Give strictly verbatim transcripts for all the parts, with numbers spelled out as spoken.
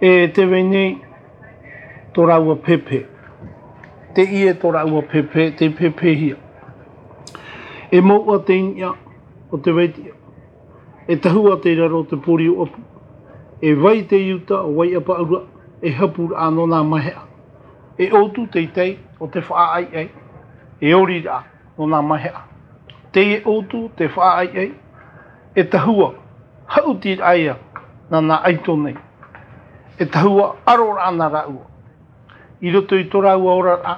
E tē vai nei tō rāua pēpē. Teie tō rāua pēpē, tei pēpēhia. E mouʻa te iniʻa o te vaitiʻa. E tahua tei raro o te pōrioʻapu. E vai te iuta o Vaiʻapaʻura, e hapuraʻa nō nā maheʻa. E ʻōtu te tai o te faʻaʻaiʻai. E oriraʻa nō nā maheʻa. Teie ʻōtu te faʻaʻaiʻai, e tahua, haʻutiraʻa ia nā nā ʻaito nei. E tahua, aroraʻa nā rāua. I roto i tō rāua oraraʻa,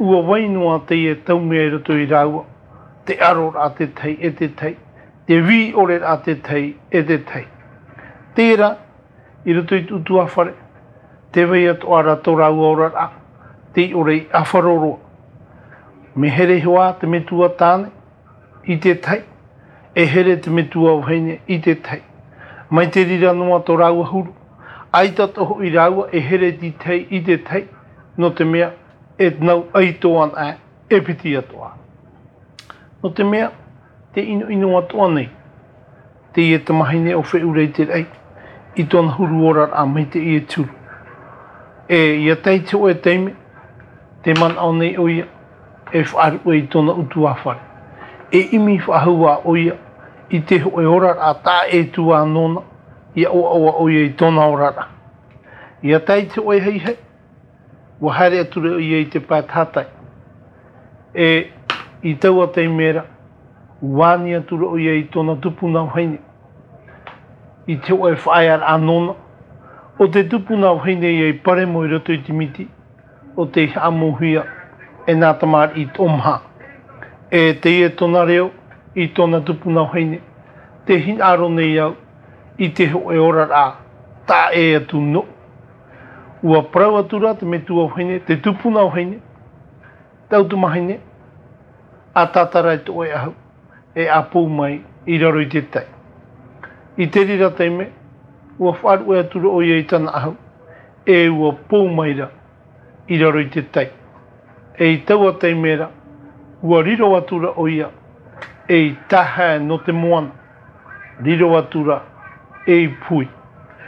ʻua vai noa teie taumea i roto ia rāua, te aroraʻa tētahi e tētahi, te vī ʻoreraʻa tētahi e tētahi. Terā, i roto i te ʻutuāfare, tē vai atoʻa ra tō rāua oraraʻa, tei ʻore i ʻāfaro roa. Mea here hoʻi te metua tāne i te tai, e here te metua vahine i te tai. Mai te reira noa tō rāua huru, ʻaita atoʻa hoʻi rāua e here te tai i te tai, nō te mea, e nau ʻaito ana e piti atoʻa. Nō te mea, tē ʻinoʻino atoʻa nei teie tamahine o Feʻuraiteraʻi i tōna huru oraraʻa mai teie turu. E, ʻia tae i te hōʻē taime, tē manaʻo nei ʻoia, e faʻaruʻe i tōna ʻutuāfare. E ʻimi faʻahou ā ʻoia i te hōʻē oraraʻa taʻa ʻē atu ā nōna, ʻia ʻoaʻoa ʻoia i tōna oraraʻa. ʻIa tae i te hōʻē haihai, ʻua haere atu ra ʻoia i te pae tahatai. E, i taua taime ra, ʻua ani atu ra ʻoia i tōna tupuna vahine. I te hōʻē faʻaearaʻa nōna, ʻo te tupuna vahine ïa i paremo i roto i te miti, ʻo tei haʻamouhia e nā tamariʻi toʻomaha. E teie tōna reo i tōna tupuna vahine, tē hinaʻaro nei au i te hōʻē oraraʻa taʻa ʻē atu nō. ʻUa parau atu ra te metua vahine, te tupuna vahine, tau tamahine, ʻa tātara i tō ʻoe ʻahu, e ʻa pou mai i raro i te tai. I te reira taime, ʻua faʻaruʻe atu ra ʻoia i tāna ʻahu, e ʻua pou mai ra i raro i te tai. E i taua taime ra, ʻua riro atu ra ʻoia, e i tahae nō te moana, riro atu ra, e i pui.